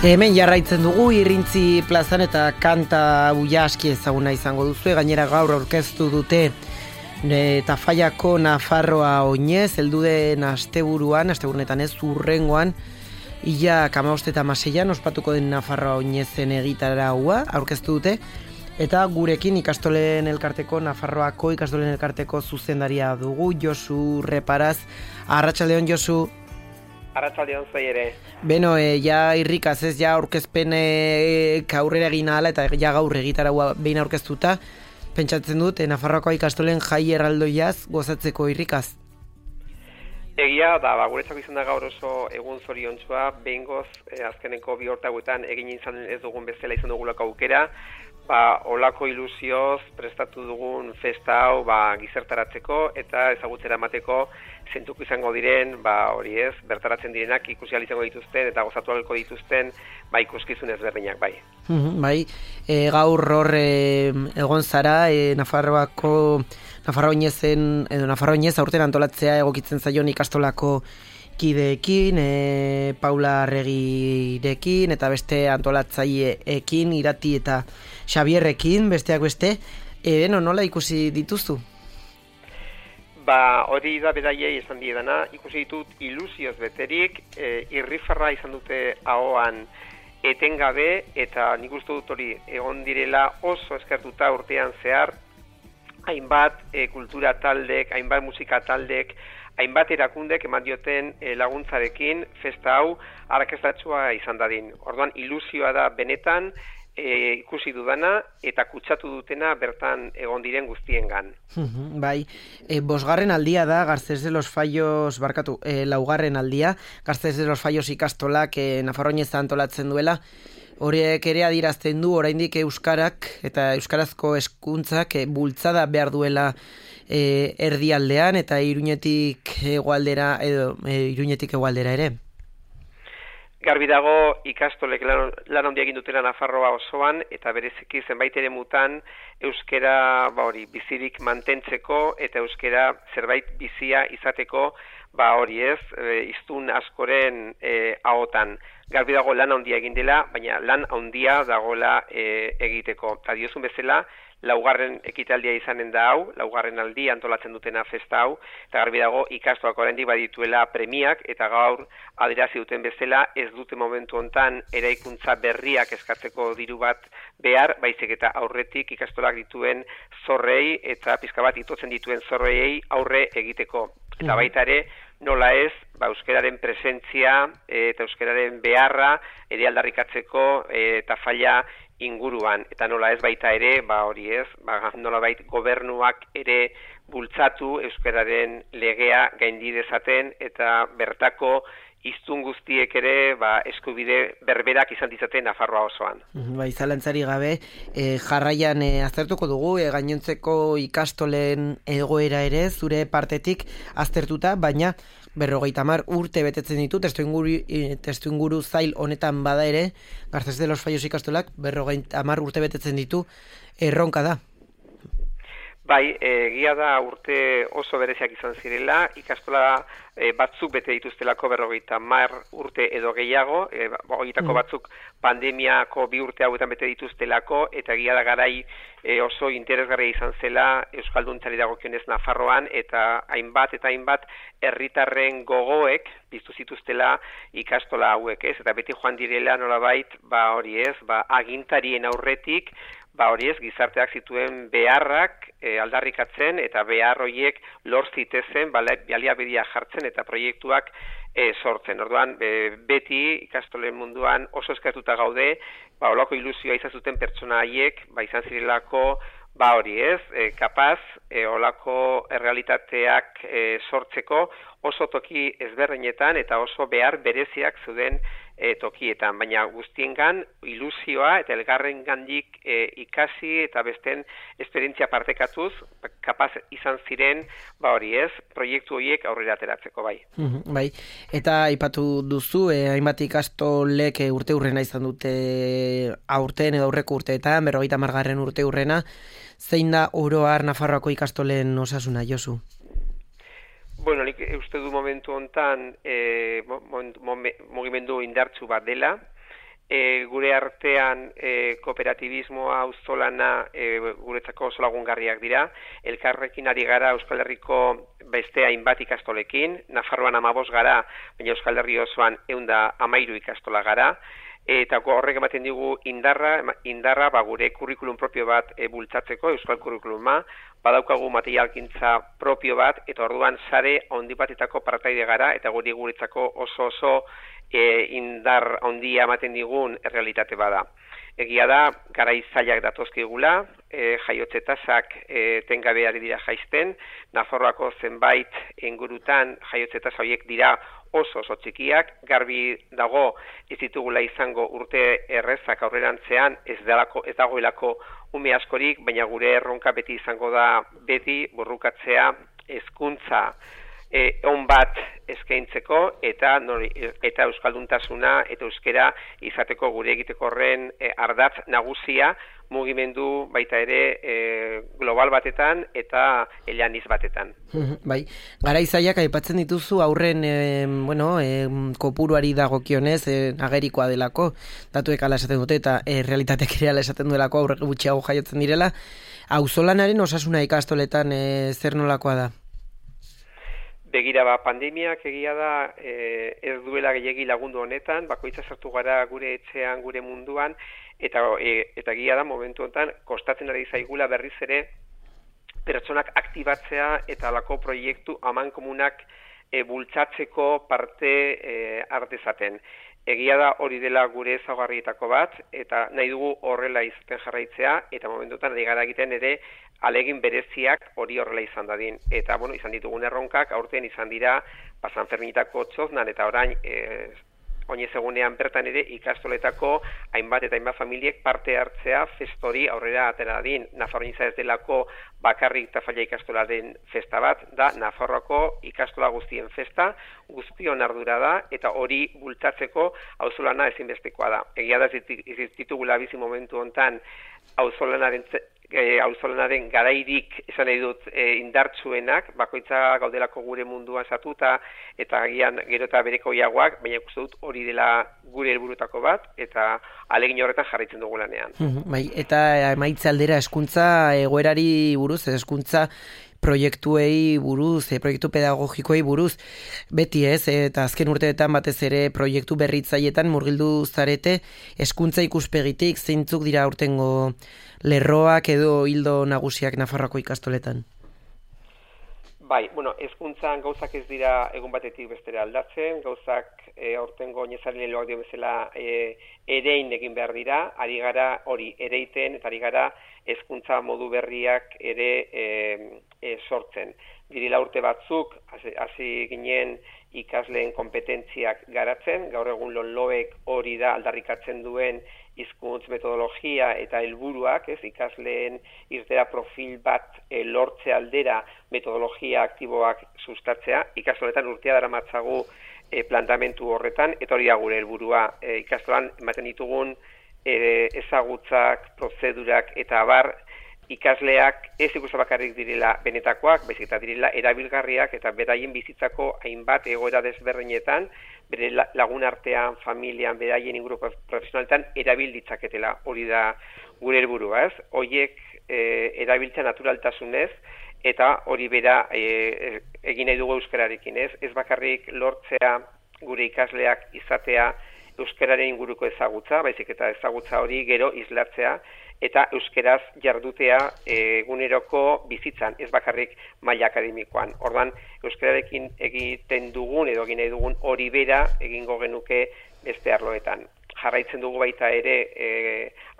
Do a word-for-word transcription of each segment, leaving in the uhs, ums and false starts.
Hemen jarraitzen dugu Irrintzi plazan eta kanta buia aski ezaguna izango duzu. Gainera gaur aurkeztu dute e, Tafallako Nafarroa oinez, heldu den asteburuan, asteburunetan ez, urrengoan, ia kamabost eta maseian ospatuko den Nafarroa oinezen egitaraua aurkeztu dute. Eta gurekin ikastolen elkarteko, Nafarroako ikastolen elkarteko zuzendaria dugu, Josu Reparaz. Arratsaldeon, Josu. Arratsaldeon zoi ere. Beno, e, ja irrikaz ez, ja aurkezpen e, aurrera egin ahala eta ja gaur egitaraua behin aurkeztuta, pentsatzen dut, e, Nafarroako ikastolen jai erraldoiaz gozatzeko irrikaz. Egia da, ba, guretzako izan da gaur oso egun zoriontsua, behingoz e, azkeneko bi hortaguetan egin izan ez dugun bezala izan dugulako aukera, ba, olako ilusioz prestatu dugun festa hau ba, gizertaratzeko eta ezagutzera emateko zentuko izango diren, ba, hori ez, bertaratzen direnak ikusi ahal izango dituzten eta gozatu ahalko dituzten ba, ikuskizun ezberdinak, bai. Mm-hmm, bai, e, gaur hor e, egon zara, e, Nafarroako, Nafarroa oinezen, edo Nafarroa oinez aurten antolatzea egokitzen zaion ikastolako kideekin, e, Paula Arregirekin eta beste antolatzaileekin, Irati eta Xabierrekin, besteak beste, e, beno, nola ikusi dituzu? Ba, hori da beraiei esan diedana, ikusi ditut ilusioz beterik, e, irrifarra izan dute ahoan etengabe, eta nik uste dut hori egon direla oso eskertuta urtean zehar, hainbat e, kultura taldek, hainbat musika taldek, hainbat erakundek eman dioten e, laguntzarekin festa hau arrakastatsua izan dadin. Orduan ilusioa da benetan, E, ikusi dudana eta kutsatu dutena bertan egon diren guztiengan. Bai, e, bosgarren aldia da Garcés de los Fallos, barkatu, e, laugarren aldia, Garcés de los Fallos ikastolak e, Nafarroa oinez antolatzen duela. Horiek ere adierazten du oraindik euskarak eta euskarazko hezkuntzak e, bultzada behar duela e, erdialdean eta Iruñetik hegoaldera edo e, Iruñetik hegoaldera ere. Garbi dago ikastolek lan, lan handia egin dutela Nafarroa osoan eta bereziki zenbait ere mutan euskera ba hori bizirik mantentzeko eta euskera zerbait bizia izateko ba hori ez e, hiztun askoren e, ahotan. Garbi dago lan handia egin dela, baina lan handia dagoela e, egiteko. Ta diozun bezala laugarren ekitaldia izanen da hau, laugarren aldi antolatzen dutena festa hau, eta garbi dago ikastoak oraindik badituela premiak, eta gaur adierazi duten bezala ez dute momentu hontan eraikuntza berriak eskatzeko diru bat behar, baizik eta aurretik ikastolak dituen zorrei eta pizka bat itotzen dituen zorrei aurre egiteko. Eta baita ere, nola ez, ba, euskararen presentzia e, eta euskararen beharra ere aldarrikatzeko e, eta falla inguruan, eta nola ez baita ere, ba hori ez, ba, nola bait gobernuak ere bultzatu euskararen legea gaindi dezaten eta bertako hiztun guztiek ere ba, eskubide berberak izan ditzaten Nafarroa osoan. Bai, zalantzari gabe, e, jarraian e, aztertuko dugu, e, gainontzeko ikastolen egoera ere, zure partetik aztertuta, baina berrogeita hamar urte betetzen ditu, testuinguru, testuinguru zail honetan bada ere, Garcés de los Fallos ikastolak berrogeita hamar urte betetzen ditu, erronka da. Bai, egia da urte oso bereziak izan zirela, ikastola e, batzuk bete dituztelako berrogeita hamar urte edo gehiago, e, horietako mm. batzuk pandemiako bi urte hauetan bete dituztelako, eta egia da garai e, oso interesgarria izan zela euskalduntzari dagokionez Nafarroan, eta hainbat eta hainbat herritarren gogoek piztu zituztela ikastola hauek, ez? Eta beti joan direla nolabait, ba hori ez, ba agintarien aurretik, ba hori ez, gizarteak zituen beharrak e, aldarrikatzen eta behar horiek lor zitezen baliabideak jartzen eta proiektuak e, sortzen. Orduan, e, beti ikastolen munduan oso eskertuta gaude, ba holako ilusioa izan zuten pertsona haiek, ba izan zirelako ba hori ez, e, kapaz, e, olako errealitateak e, sortzeko oso toki ezberdinetan eta oso behar bereziak zuden e, tokietan, baina guztiengan ilusioa eta elgarren gandik e, ikasi eta besten esperientzia partekatuz, kapaz izan ziren, ba hori ez, proiektu horiek aurrera ateratzeko bai. Mm-hmm, bai, eta aipatu duzu, e, hainbat ikastolek e, urte urrena izan dute aurten edo aurreko urteetan, berrogeita hamargarren urte urrena, zein da oro har Nafarroako ikastolen osasuna, Josu? Bueno, nik uste du momentu hontan e, mugimendu indartsu bat dela, E, gure artean e, kooperatibismoa, auzolana e, guretzako oso lagungarriak dira. Elkarrekin ari gara Euskal Herriko beste hainbat ikastolekin, Nafarroan hamabost gara, baina Euskal Herri osoan ehun eta hamairu ikastola gara. Eta horrek ematen digu indarra, indarra ba, gure kurrikulum propio bat e, bultzatzeko, euskal kurrikuluma, badaukagu materialkintza propio bat, eta orduan sare handi batetako partaide gara, eta guri guretzako oso oso e, indar handia ematen digun errealitate bada. Egia da, garai zailak datozkigula, e, jaiotze tasak e, tengabe ari dira jaisten, Nafarroako zenbait ingurutan jaiotze tasa horiek dira oso oso txikiak, garbi dago ez ditugula izango urte errezak aurrerantzean, ez, dalako, ez dagoelako ume askorik, baina gure erronka beti izango da beti burrukatzea hezkuntza E, on bat eskaintzeko eta nori, eta euskalduntasuna eta euskera izateko gure egiteko horren e, ardatz nagusia mugimendu baita ere e, global batetan eta eleaniz batetan. Bai, garaizaiak aipatzen dituzu aurren e, bueno, e, kopuruari dagokionez e, agerikoa delako, datuek ala esaten dute eta e, realitatek ere ala esaten duelako aurre gutxiago jaiotzen direla. Auzolanaren osasuna ikastoletan e, zer nolakoa da? Begira, ba, pandemiak egia da e, ez duela gehiegi lagundu honetan, bakoitza sartu gara gure etxean, gure munduan, eta e, eta egia da momentu honetan kostatzen ari zaigula berriz ere pertsonak aktibatzea eta halako proiektu amankomunak e, bultzatzeko parte e, hartezaten. Egia da hori dela gure ezaugarrietako bat, eta nahi dugu horrela izaten jarraitzea, eta momentutan ari gara egiten ere alegin bereziak hori horrela izan dadin. Eta, bueno, izan ditugun erronkak, aurten izan dira, ba, San Ferminetako txoznan, eta orain, e, oinez egunean bertan ere ikastoletako hainbat eta hainbat familiek parte hartzea festori aurrera atera dadin. Nafarroa ez delako bakarrik Tafalla ikastolaren festa bat, da Nafarroako ikastola guztien festa, guztion ardura da, eta hori bultatzeko auzolana ezinbestekoa da. Egia da ez ditugula bizi momentu hontan auzolanaren E, auzolanaren garairik esan nahi dut e, indartsuenak, bakoitza gaudelako gure munduan satuta eta agian gero eta berekoiagoak, baina ikusten dut hori dela gure helburutako bat eta alegin horretan jarraitzen dugu lanean. Bai, eta emaitza aldera hezkuntza egoerari buruz, hezkuntza proiektuei buruz, e, proiektu pedagogikoei buruz, beti ez, eta azken urteetan batez ere proiektu berritzaietan murgildu zarete, hezkuntza ikuspegitik zeintzuk dira aurtengo lerroak edo hildo nagusiak Nafarroako ikastoletan? Bai, bueno, hezkuntzan gauzak ez dira egun batetik bestera aldatzen, gauzak e, aurtengo oinezari leloak dio bezala e, erein egin behar dira, ari gara hori ereiten eta ari gara hezkuntza modu berriak ere e, e, sortzen. Direla urte batzuk, hasi ginen ikasleen kompetentziak garatzen, gaur egun lonloek hori da aldarrikatzen duen hizkuntz metodologia eta helburuak, ez, ikasleen irtera profil bat e, lortze aldera metodologia aktiboak sustatzea. Ikastoletan urtea daramatzagu e, plantamentu horretan, eta hori da gure helburua. E, ikastolan ematen ditugun e, ezagutzak, prozedurak eta abar, ikasleak ez ikusten bakarrik direla benetakoak, baizik eta direla erabilgarriak eta beraien bizitzako hainbat egoera desberdinetan, bere lagun artean, familian, beraien inguru profesionaletan erabil ditzaketela. Hori da gure helburua, ez? Horiek e, erabiltza naturaltasunez eta hori bera e, egin nahi dugu euskararekin, ez? Ez bakarrik lortzea gure ikasleak izatea euskararen inguruko ezagutza, baizik eta ezagutza hori gero islatzea eta euskeraz jardutea eguneroko bizitzan, ez bakarrik maila akademikoan. Orduan, euskararekin egiten dugun edo egin nahi dugun hori bera egingo genuke beste arloetan. Jarraitzen dugu baita ere e,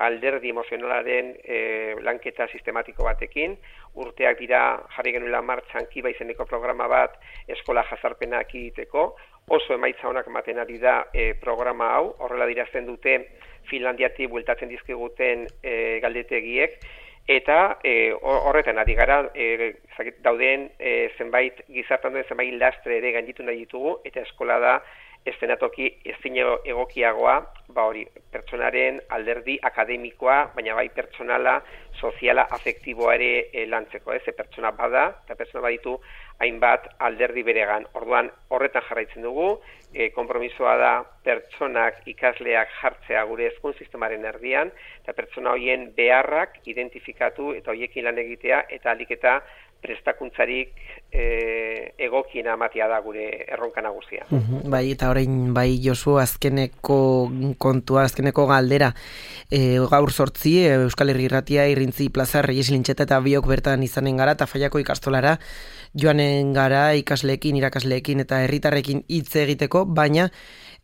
alderdi emozionalaren e, lanketa sistematiko batekin. Urteak dira jarri genuela martxan Kiba izeneko programa bat eskola jazarpenak egiteko. Oso emaitza honak ematen ari da e, programa hau, horrela dirazten dute Finlandiatik bueltatzen dizkiguten e, galdetegiek, eta e, horretan ari gara e, dauden e, zenbait gizartan duen zenbait lastre ere gainditu nahi ditugu, eta eskola da eszenatoki ezin egokiagoa, ba hori, pertsonaren alderdi akademikoa, baina bai pertsonala, soziala, afektiboa ere e, lantzeko, ez, e, pertsona bada, eta pertsona baditu hainbat alderdi beregan. Orduan horretan jarraitzen dugu, e, konpromisoa da pertsonak, ikasleak jartzea gure hezkuntza sistemaren erdian, eta pertsona horien beharrak identifikatu eta horiekin lan egitea, eta ahalik eta prestakuntzarik e, egokiena ematea da gure erronka nagusia. Uhum, bai, eta orain bai Josu azkeneko kontua, azkeneko galdera. E, gaur sortzi, Euskal Herri Irratia, Irrintzi Plaza, Reyes Lintxeta eta biok bertan izanen gara, eta Faiako ikastolara joanen gara ikasleekin, irakasleekin eta herritarrekin hitz egiteko, baina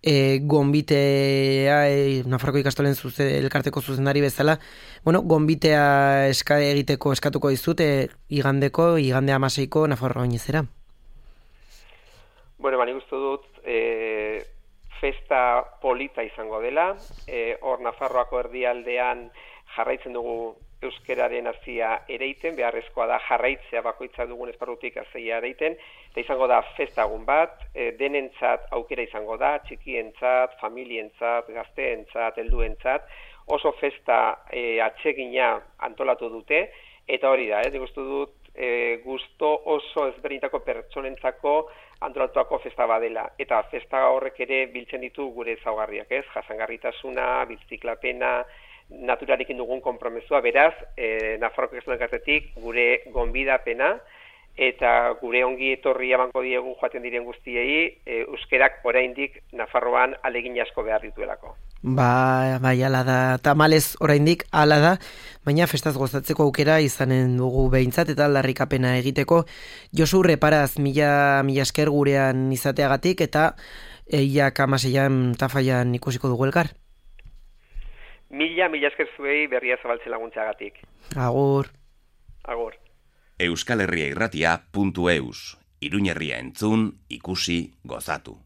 E, gonbitea, e, Nafarroko ikastolen zuze, elkarteko zuzendari bezala, bueno, gonbitea eska egiteko eskatuko dizut, e, igandeko, igande amaseiko Nafarroa oinezera. Bueno, bani guztu dut, e, festa polita izango dela, e, hor Nafarroako erdialdean jarraitzen dugu euskeraren hazia ereiten, beharrezkoa da jarraitzea bakoitza dugun esparrutik hazia ereiten, eta izango da festagun bat, e, denentzat aukera izango da, txikientzat, familientzat, gazteentzat, helduentzat, oso festa e, atsegina antolatu dute, eta hori da, eh, uste dut, e, gusto oso ezberdintako pertsonentzako antolatuako festa badela, eta festa horrek ere biltzen ditu gure ezaugarriak, ez? Jasangarritasuna, biziklapena, naturarekin dugun konpromesua, beraz, e, Nafarroko ikastolen elkartetik gure gonbidapena eta gure ongi etorri emango diegu joaten diren guztiei, e, euskerak oraindik Nafarroan alegin asko behar dituelako. Ba, bai, ala da, tamalez oraindik ala da, baina festaz gozatzeko aukera izanen dugu behintzat eta aldarrikapena egiteko. Josu, reparaz, mila, mila esker gurean izateagatik eta eiak amaseian Tafaian ikusiko dugu elkar. Mila, mila esker zuei berria zabaltzen laguntzeagatik. Agur. Agur. Euskal Herria Irratia puntu eus. Iruñerria entzun, ikusi, gozatu.